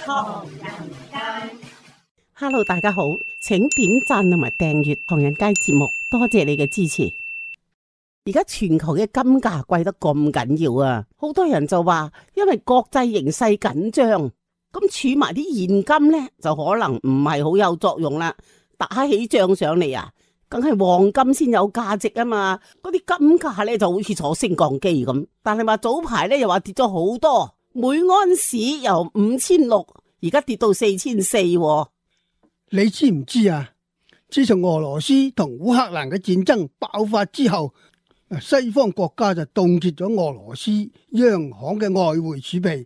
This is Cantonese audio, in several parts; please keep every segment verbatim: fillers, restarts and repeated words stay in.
唐人街。Hello， 大家好，請點讚同埋訂閱唐人街節目，多謝你嘅支持。而家全球嘅金價貴得咁緊要啊，好多人就話因為國際形勢緊張，咁儲埋啲現金呢，就可能唔係好有作用啦。打起仗上嚟啊，梗係黃金先有價值啊嘛。嗰啲金價呢就好似坐升降機咁，但係話早排呢又話跌咗好多，每安士由五千六而家跌到四千四。你知唔知啊？自從俄羅斯同烏克蘭嘅戰爭爆發之後，西方國家就凍結咗俄羅斯央行嘅外匯儲備，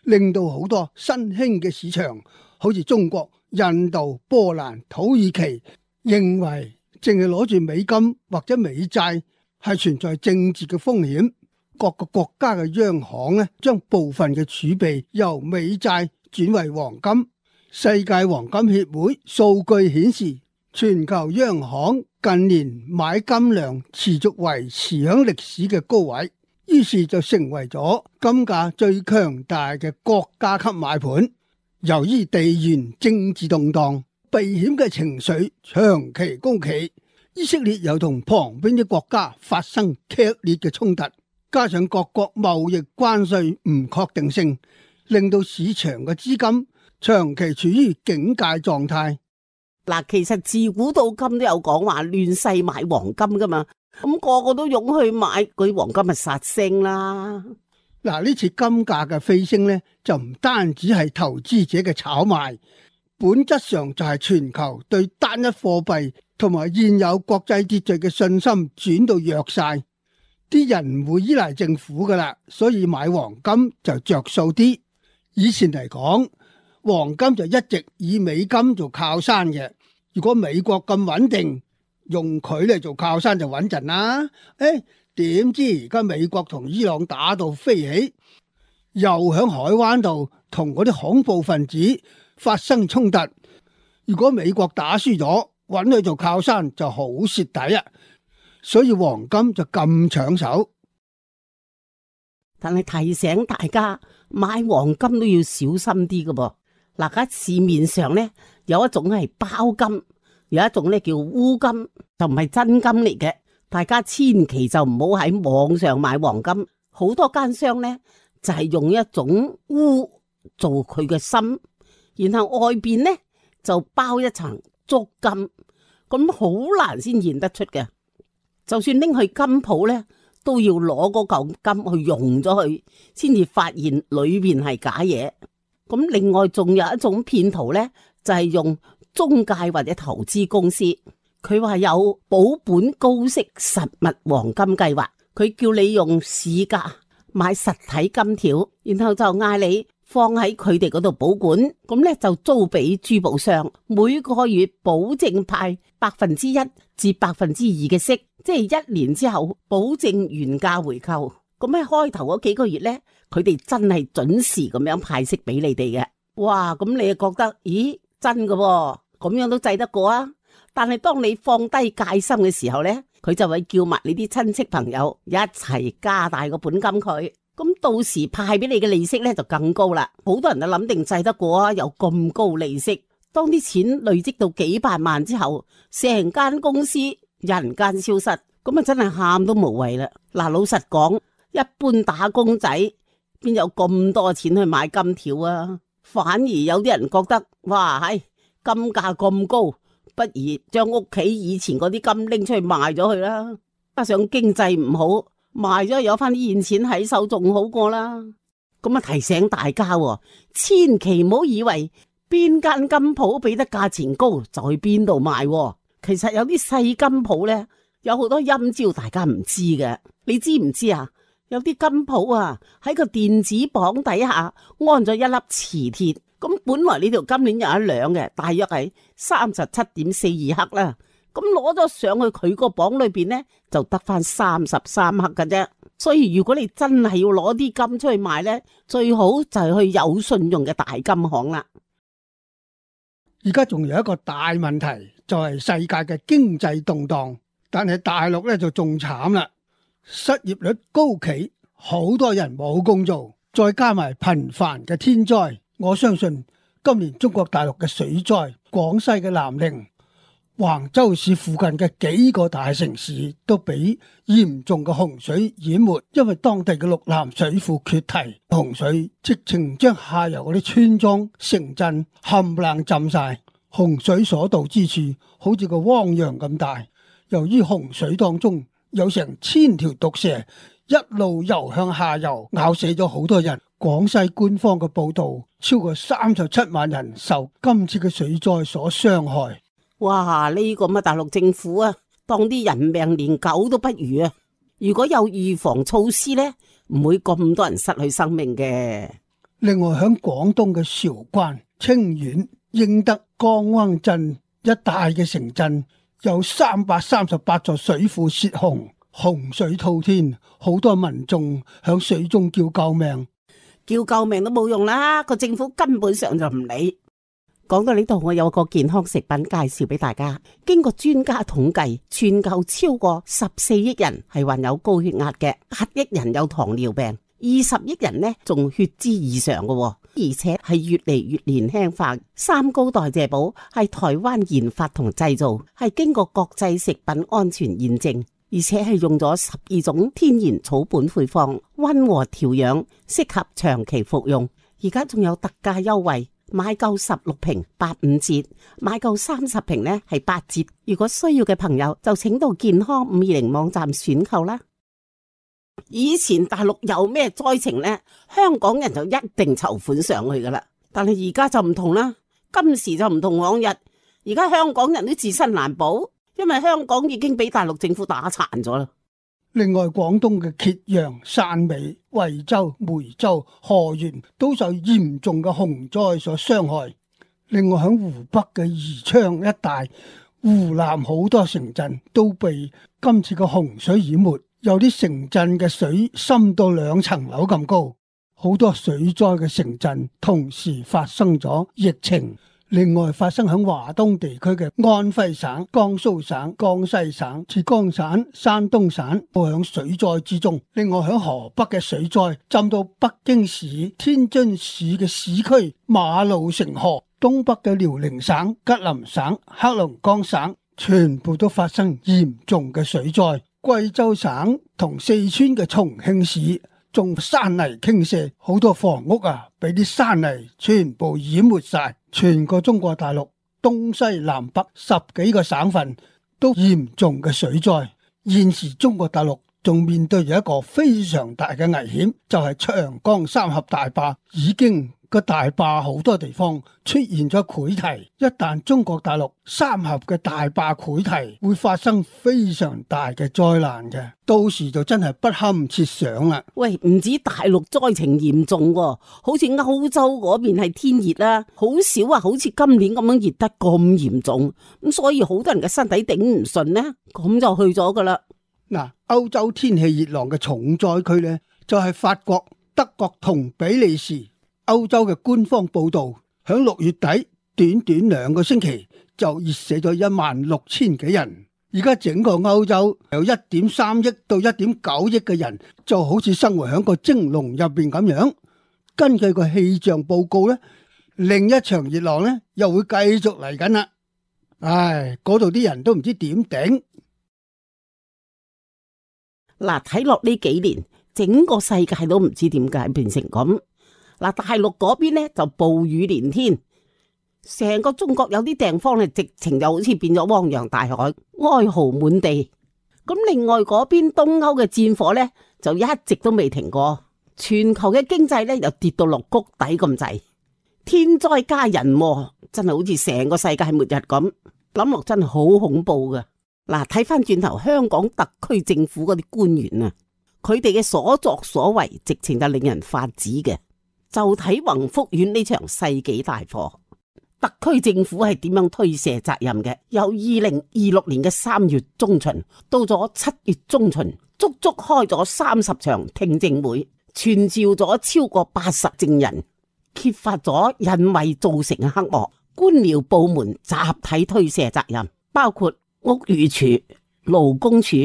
令到好多新興嘅市場，好似中國、印度、波蘭、土耳其，認為淨係攞住美金或者美債係存在政治嘅風險。各個國家嘅央行呢，將部分嘅儲備由美債轉為黃金。世界黃金協會數據顯示，全球央行近年買金量持續維持響歷史嘅高位，於是就成為咗金價最強大嘅國家級買盤。由於地緣政治動盪，避險嘅情緒長期高企，以色列又同旁邊啲國家發生劇烈嘅衝突，加上各國貿易關稅唔確定性，令到市場嘅資金長期處於警戒狀態。嗱，其實自古到今都有講話亂世買黃金噶嘛，咁個個都湧去買，嗰啲黃金咪殺升啦。嗱，呢次金價嘅飛升呢，就唔單止係投資者嘅炒賣，本質上就係全球對單一貨幣同埋現有國際秩序嘅信心轉到弱晒，啲人唔會依賴政府噶啦，所以買黃金就着數啲。以前嚟講，黃金就一直以美金做靠山嘅，如果美國咁穩定，用佢嚟做靠山就穩陣啦。誒，點知而家美國同伊朗打到飛起，又響海灣度同嗰啲恐怖分子發生衝突。如果美國打輸咗，揾佢做靠山就好蝕底啊，所以黃金就咁搶手。但係提醒大家，買黃金都要小心啲㗎噃。嗱，而家市面上咧有一種係包金，有一種咧叫烏金，就唔係真金嚟嘅。大家千祈就唔好喺網上買黃金，好多奸商咧就係用一種烏做佢嘅心，然後外邊咧就包一層足金，咁好難先認得出嘅。就算拎去金鋪咧，都要攞嗰嚿金去溶咗佢，先至發現裏邊係假嘢。咁另外仲有一種騙徒呢，就係用中介或者投資公司，佢話有保本高息實物黃金計劃，佢叫你用市價買實體金條，然後就嗌你放喺佢哋嗰度保管，咁呢就租俾珠寶商，每個月保證派百分之一至百分之二嘅息，即係一年之後保證原價回購。咁喺開頭嗰幾個月呢，佢哋真係準時咁樣派息俾你哋嘅。哇，咁你就覺得，咦，真㗎喎，咁樣都制得過啊？但係當你放低戒心嘅時候呢，佢就會叫埋你啲親戚朋友一齊加大個本金佢，咁到時派俾你嘅利息呢就更高啦。好多人都諗定制得過啊，有咁高利息。當啲錢累積到幾百萬之後，成間公司人間消失，咁啊真係喊都無謂啦。嗱，老實講，一般打工仔邊有咁多錢去買金條啊？反而有啲人覺得，哇，係金價咁高，不如將屋企以前嗰啲金拎出去賣咗佢啦。加上經濟唔好，賣咗有翻啲現錢喺手仲好過啦。咁啊提醒大家，千祈唔好以為邊間金鋪俾得價錢高就去邊度賣。其實有啲細金鋪呢，有好多陰招大家唔知嘅。你知唔知啊？有啲金鋪啊，喺個電子磅底下安咗一粒磁鐵，咁本來呢條金鏈有一兩嘅，大約係三十七點四二克啦。咁攞咗上去佢個磅裏邊呢，就得翻三十三克嘅啫。所以如果你真係要攞啲金出去賣呢，最好就係去有信用嘅大金行啦。而家仲有一個大問題，就係世界嘅經濟動盪，但係大陸咧就仲慘啦。失業率高企，好多人冇工做，再加埋頻繁嘅天災，我相信今年中國大陸嘅水災，廣西嘅南寧、橫州市附近嘅幾個大城市都俾嚴重嘅洪水淹沒，因為當地嘅陸南水庫決堤，洪水直情將下游嗰啲村莊、城鎮冚唪唥浸晒。洪水所到之處，好似個汪洋咁大。由於洪水當中有成千條毒蛇一路游向下游，咬死咗好多人。廣西官方嘅報道，超過三十七萬人受今次嘅水災所傷害。哇！呢個乜大陸政府啊，當啲人命連狗都不如啊！如果有預防措施呢，唔會咁多人失去生命嘅。另外響廣東嘅韶關、清遠、英德、江灣鎮一帶嘅城鎮，有三百三十八座水庫泄洪，洪水滔天，好多民眾響水中叫救命。叫救命都冇用啦，個政府根本上就唔理。講到呢度，我有個健康食品介紹俾大家。經過專家統計，全球超過十四億人係患有高血壓嘅，八億人有糖尿病，二十億人呢仲血脂異常嘅，而且係越嚟越年輕化。三高代謝寶係台灣研發同製造，係經過國際食品安全驗證。而且係用咗十二種天然草本配方，溫和調養，適合長期服用。而家仲有特價優惠，買夠十六瓶八五折，買夠三十瓶呢係八折。如果需要嘅朋友就請到健康五二零網站選購啦。以前大陸有咩災情呢，香港人就一定籌款上去噶啦。但係而家就唔同啦，今時就唔同往日。而家香港人都自身難保。因為香港已經俾大陸政府打殘咗啦。另外，廣東嘅揭陽、汕尾、惠州、梅州、河源都受嚴重嘅洪災所傷害。另外，響湖北嘅宜昌一帶、湖南好多城鎮都被今次嘅洪水淹沒，有啲城鎮嘅水深到兩層樓咁高。好多水災嘅城鎮同時發生咗疫情。另外發生喺華東地區嘅安徽省、江蘇省、江西省、浙江省、山東省都喺水災之中。另外喺河北嘅水災浸到北京市、天津市嘅市區，馬路成河。東北嘅遼寧省、吉林省、黑龍江省全部都發生嚴重嘅水災。貴州省同四川嘅重慶市仲山泥傾瀉，好多房屋啊俾啲山泥全部淹沒晒。全個中國大陸東西南北十幾個省份都嚴重嘅水災。現時中國大陸仲面對住一個非常大嘅危險，就係長江三峽大壩已經個大壩好多地方出現咗潰堤。一旦中國大陸三峽嘅大壩潰堤，會發生非常大嘅災難嘅，到時就真係不堪設想啦。喂，唔止大陸災情嚴重喎，好似歐洲嗰邊係天熱啦，好少啊，好似今年咁樣熱得咁嚴重，咁所以好多人嘅身體頂唔順呢，咁就去咗噶啦。嗱，歐洲天氣熱浪嘅重災區呢，就係法國、德國同比利時。歐洲嘅官方報道，響六月底短短兩個星期就熱死咗一萬六千幾人。而家整個歐洲有一點三億到一點九億嘅人，就好似生活喺個蒸籠入邊咁樣。根據個氣象報告呢，另一場熱浪呢又會繼續嚟緊啦。唉，嗰度啲人都唔知點頂。嗱，睇落呢幾年，整個世界都唔知點解變成咁。嗱，大陸嗰邊呢就暴雨連天，成個中國有啲地方呢直情就好似變咗汪洋大海，哀嚎滿地。咁另外嗰邊東歐嘅戰火呢就一直都未停過，全球嘅經濟呢又跌到落谷底咁滯，天災加人禍，真係好似成個世界末日咁，諗落真係好恐怖噶。嗱，睇翻轉頭香港特區政府嗰啲官員啊，佢哋嘅所作所為，直情就令人髮指嘅。就睇宏福苑呢場世紀大火，特區政府係點樣推卸責任嘅？由二零二六年嘅三月中旬到咗七月中旬，足足開咗三十場聽證會，傳召咗超過八十證人，揭發咗人為造成嘅黑幕，官僚部門集體推卸責任，包括屋宇署、勞工處、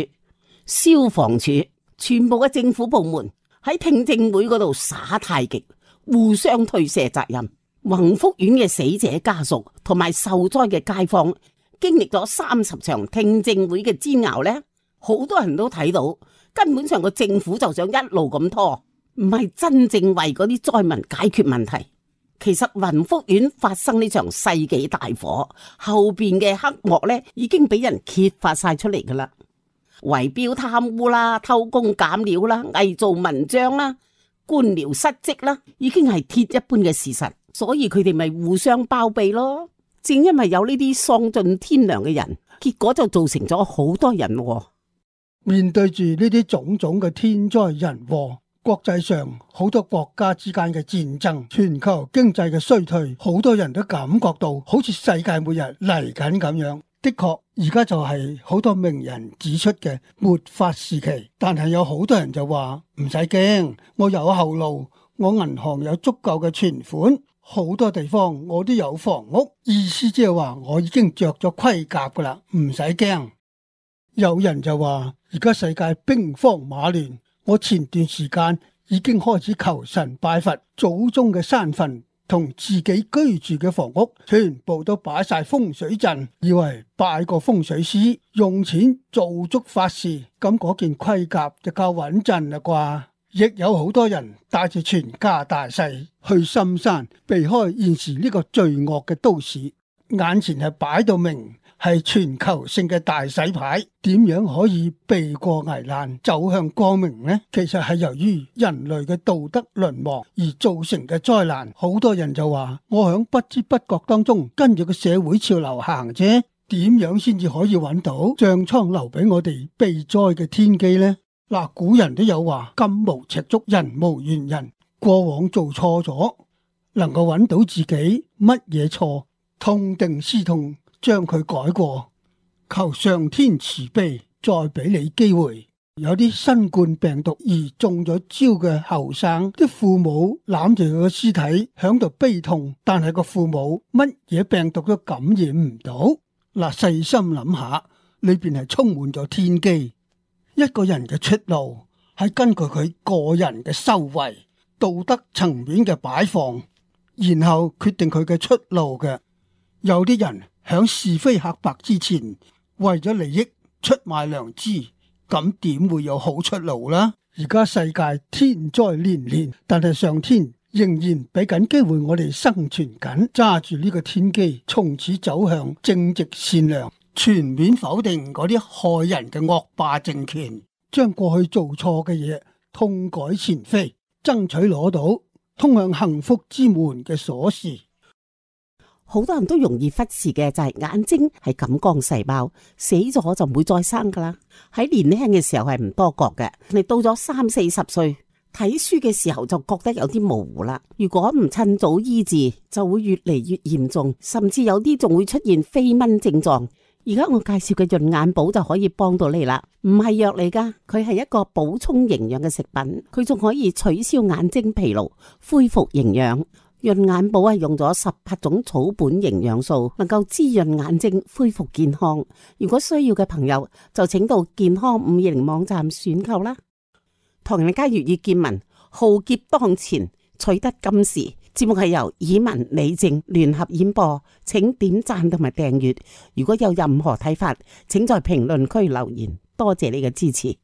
消防處，全部嘅政府部門喺聽證會嗰度耍太極，互相推卸責任。宏福苑嘅死者家屬同埋受災嘅街坊，經歷咗三十場聽證會嘅煎熬呢，好多人都睇到，根本上個政府就想一路咁拖，唔係真正為嗰啲災民解決問題。其實宏福苑發生呢場世紀大火，後邊嘅黑幕呢已經俾人揭發晒出嚟噶啦，圍標貪污啦、偷工減料啦、偽造文章啦、官僚失職啦，已經係鐵一般嘅事實，所以佢哋咪互相包庇咯。正因為有呢啲喪盡天良嘅人，結果就造成咗好多人禍。面對住呢啲種種嘅天災人禍，國際上好多國家之間嘅戰爭，全球經濟嘅衰退，好多人都感覺到好似世界末日嚟緊咁樣。的確，而家就係好多名人指出嘅末法時期，但係有好多人就話唔使驚，我有後路，我銀行有足夠嘅存款，好多地方我都有房屋，意思即係話我已經着咗盔甲噶啦，唔使驚。有人就話而家世界兵荒馬亂，我前段時間已經開始求神拜佛，祖宗嘅山墳同自己居住嘅房屋全部都擺晒風水陣，以為拜個風水師用錢做足法事，咁嗰件盔甲就夠穩陣啦啩。亦有好多人帶住全家大細去深山，避開現時呢個罪惡嘅都市，眼前係擺到明係全球性嘅大洗牌，點樣可以避過危難走向光明呢？其實係由於人類嘅道德淪亡而造成嘅災難。好多人就話我響不知不覺當中跟住個社會潮流行啫，點樣先至可以揾到醬倉留俾我哋避災嘅天機呢？嗱，古人都有話金無赤足，人無完人。過往做錯咗，能夠揾到自己乜嘢錯，痛定思痛，將佢改過，求上天慈悲，再俾你機會。有啲新冠病毒而中咗招嘅後生，啲父母攬住佢個屍體響度悲痛，但係個父母乜嘢病毒都感染唔到。嗱，細心諗下，裏邊係充滿咗天機。一個人嘅出路係根據佢個人嘅修為、道德層面嘅擺放，然後決定佢嘅出路嘅。有啲人響是非黑白之前，為咗利益出賣良知，咁點會有好出路啦？而家世界天災連連，但係上天仍然俾緊機會我哋生存緊，揸住呢個天機，從此走向正直善良，全面否定嗰啲害人嘅惡霸政權，將過去做錯嘅嘢痛改前非，爭取攞到通向幸福之門嘅鎖匙。好多人都容易忽視嘅就係眼睛係感光細胞，死咗就唔會再生噶啦。喺年輕嘅時候係唔多覺嘅，你到咗三四十歲睇書嘅時候就覺得有啲模糊啦。如果唔趁早醫治，就會越嚟越嚴重，甚至有啲仲會出現飛蚊症狀。而家我介紹嘅潤眼寶就可以幫到你啦，唔係藥嚟噶，佢係一個補充營養嘅食品，佢仲可以取消眼睛疲勞，恢復營養。潤眼寶係用咗十八種草本營養素，能夠滋潤眼睛，恢復健康。如果需要嘅朋友，就請到健康五二零網站選購啦。唐人街粵語見聞，浩劫當前，取得金時。節目係由以文李靜聯合演播，請點讚同埋訂閱。如果有任何睇法，請在評論區留言。多謝你嘅支持。